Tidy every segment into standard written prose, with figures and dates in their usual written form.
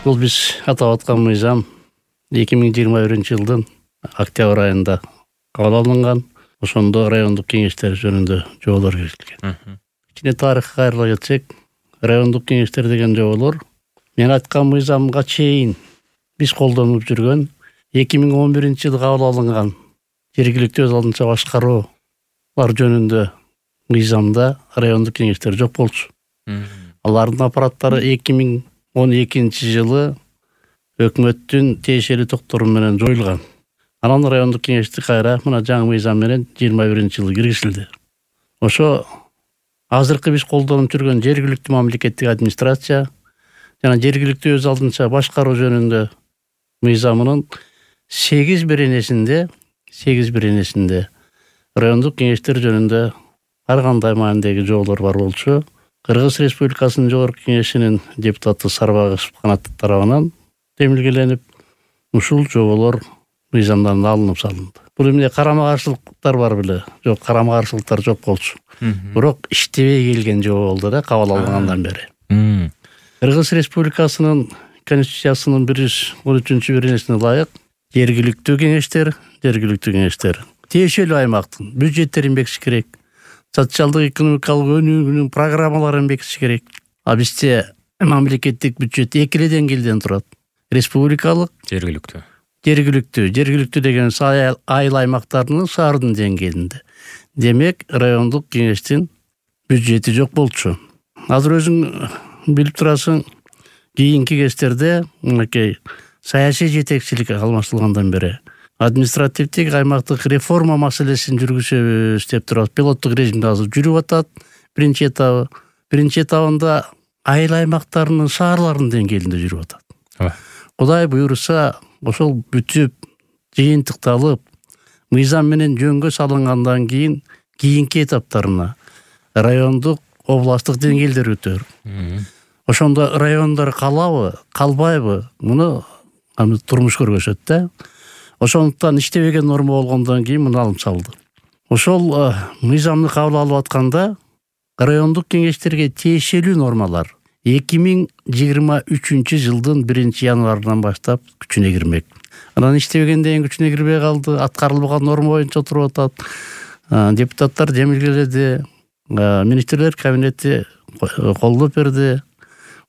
Бул биз атап аткан мыйзам 2021-жылдын октябрь айында кабыл алынган. Ошондо райондук кеңештер жөнүндө жоболор киргизилген. Кичине тарыхка кайрыла кетсек, райондук кеңештер деген жоболор мен айткан мыйзамга чейин биз колдонуп жүргөн 2011-жылы кабыл алынган жергиликтүү өз алдынча башкаруулар жөнүндө мыйзамда райондук кеңештер жок болчу. Алардын аппараттары 2012-жылы өкмөттүн тиешелүү токтору менен жоюлган. Анан райондук кеңешти кайра мына жаңы мыйзам менен 21-жылы киргизилди. Ошо азыркы биз колдонуп жүргөн жергиликтүү мамлекеттик администрация жана жергиликтүү өз алдынча башкаруу жөнүндө мыйзамынын 8 беренесинде райондук кеңештер жөнүндө ар кандай маанидеги жоболор бар болчу. Кыргыз Республикасынын Жогорку Кеңешинин депутаты Сарбагышев Канат тарабынан демилгеленип, ушул жоболор мыйзамдан алынып салынды. Бул эмне карама-каршылыктар бар беле? Жок, карама-каршылыктар жок болчу. Бирок иштебей келген жобо болду да кабыл алынгандан бери. Кыргыз Республикасынын Конституциясынын 113-беренесине ылайык жергиликтүү кеңештер тиешелүү аймактын бюджеттерин бекитиш керек. Социалдык экономикалык өнүгүүнүн программаларын бекитиш керек. А бизде мамлекеттик бюджет эки деңгээлден турат. Республикалык, жергиликтүү деген айыл аймактарынын шаардын деңгээлинде. Демек, райондук кеңештин бюджети жок болчу. Азыр өзүң билип турасың, кийинки кездерде мынакей саясий жетекчилик алмаштырылгандан бери административдик аймактык реформа маселесин жүргүзөбүз деп турат. Пилоттук режимде азыр жүрүп атат. Биринчи этабында айыл аймактарынын шаарларынын деңгээлинде жүрүп атат. Кудай буйруса, ошол бүтүп, жыйынтыкталып, мыйзам менен жөнгө салынгандан кийинки этаптарына райондук, областтык деңгээлдер өтөр. Ошондо райондар калабы, калбайбы, муну турмуш көргөзөт да. Ошондуктан иштебеген норма болгондон кийин муну алып салды. Ошол мыйзамды кабыл алып атканда райондук кеңештерге тиешелүү нормалар 2023-жылдын 1-январынан баштап күчүнө кирмек. Анан иштебегенден кийин күчүнө кирбей калды, аткарылбаган норма боюнча туруп атат. Депутаттар демилгеледи, министрлер кабинети колдоп берди.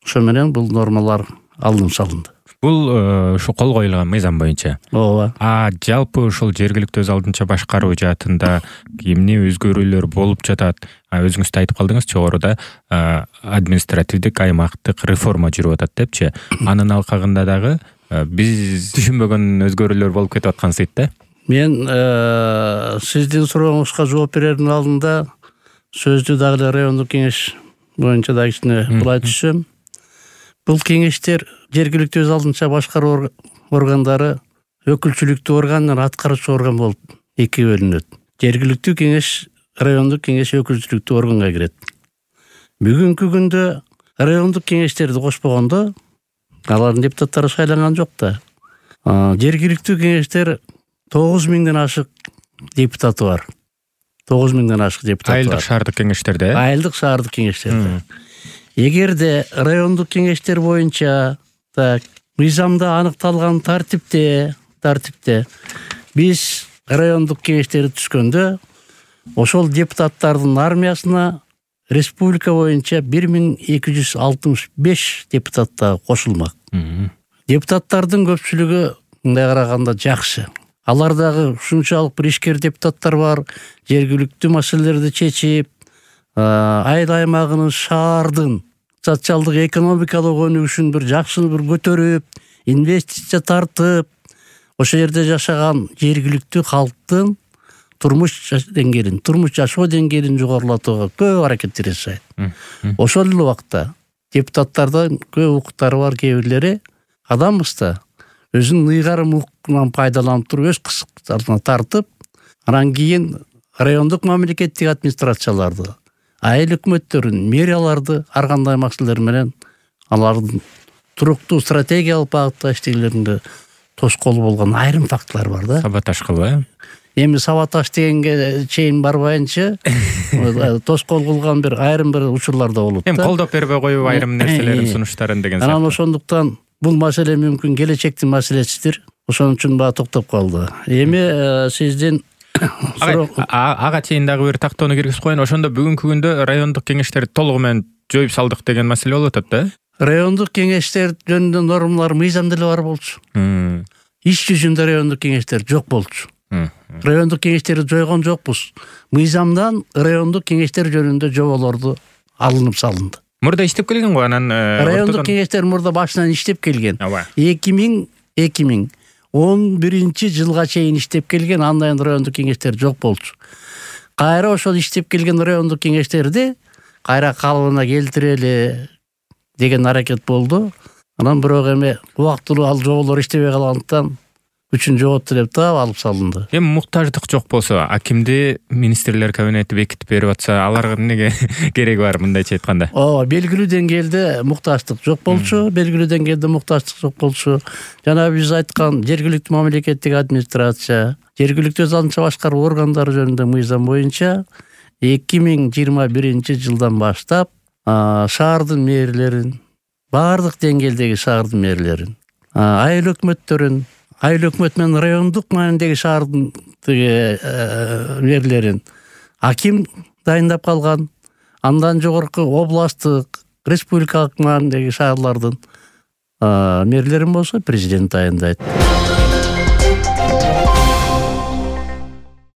Ошо менен бул нормалар алынып салынды. Бул ушу кол коюлган мыйзам боюнча. Ооба. Жалпы ушул жергиликтүү өз алдынча башкаруу жаатында эмне өзгөрүүлөр болуп жатат? Өзүңүз да айтып калдыңыз жогоруда административдик аймактык реформа жүрүп атат депчи. Анын алкагында дагы биз түшүнбөгөн өзгөрүүлөр болуп кетип аткансыйт да. Мен сиздин сурооңузга жооп берердин алдында сөздү дагы райондук кеңеш боюнча да кичине булай түшсөм. Бул кеңештер жергиликтүү өз алдынча башкаруу органдары өкүлчүлүктүү орган менен аткаруучу орган болуп эки бөлүнөт. Жергиликтүү кеңеш, райондук кеңеш өкүлчүлүктүү органга кирет. Бүгүнкү күндө райондук кеңештерди кошпогондо алардын депутаттары шайланган жок да. Жергиликтүү кеңештер 9000ден ашык депутаты бар. 9000ден ашык депутаты бар. Айылдык шаардык кеңештерде? Айылдык шаардык кеңештерде. Эгерде райондук кеңештер боюнча мыйзамда аныкталган тартипте биз райондук кеңештерди түшкөндө ошол депутаттардын армиясына республика боюнча 1265 депутат да кошулмак. Депутаттардын көпчүлүгү мындай караганда жакшы. Алардагы ушунчалык бир ишкер депутаттар бар, жергиликтүү маселелерди чечип, айыл аймагынын шаардын социалдык экономикалык өнүгүшүн бир жакшы бир көтөрүп, инвестиция тартып, ошо жерде жашаган жергиликтүү калктын турмуш жашоо деңгээлин жогорулатууга көп аракеттер жасайт. Ошол эле убакта депутаттардын көп укуктары бар, кээ бирлери адамбыз да өзүнүн ыйгарым укугунан пайдаланып туруп өз кысыктарына тартып, анан кийин райондук мамлекеттик администрацияларды, айыл өкмөттөрүн, мэрияларды ар кандай маселелер менен алардын туруктуу стратегиялык багытта иштегилеринде тоскоол болгон айрым фактылар бар да. Саботаж кылбайбы? Эми саботаж дегенге чейин барбайынчы тоскоол кылган бир айрым бир учурлар да болот да. Эми колдоп бербей коюп айрым нерселерин сунуштарын деген. Анан ошондуктан бул маселе мүмкүн келечектин маселесидир. Ошон үчүн баа токтоп калды. Эми сиздин ага чейин дагы бир тактоону киргизип коеюн. Ошондо бүгүнкү күндө райондук кеңештерди толугу менен жоюп салдык деген маселе болуп атат да. Райондук кеңештер жөнүндө нормалар мыйзамда эле бар болчу. Иш жүзүндө райондук кеңештер жок болчу. Райондук кеңештерди жойгон жокпуз. Мыйзамдан райондук кеңештер жөнүндө жоболорду алынып салынды. Мурда иштеп келген го, анан райондук кеңештер мурда башынан иштеп келген. 2011 жылга чейин иштеп келген, андан кийин райондук кеңештер жок болчу. Кайра ошол иштеп келген райондук кеңештерди кайра калыбына келтирели деген аракет болду. Анан бирок эми убактылуу ал жоболор иштебей калгандыктан күчүн жоготту деп таап алып салынды. Эми муктаждык жок болсо, акимди министрлер кабинети бекитип берип атса, аларга эмнеге кереги бар, мындайча айтканда? Белгилүү деңгээлде муктаждык жок болчу, Жана биз айткан жергиликтүү мамлекеттик администрация, жергиликтүү өз алдынча башкаруу органдары жөнүндө мыйзам боюнча 2021 жылдан баштап шаардын мэрлерин, баардык деңгээлдеги шаардын мэрлерин, айыл өкмөттөрүн, айыл өкмөт менен райондук маанидеги шаардын мэрлерин аким дайындап калган. Андан жогорку областтык, республикалык маанидеги шаарлардын мэрлерин болсо президент дайындайт.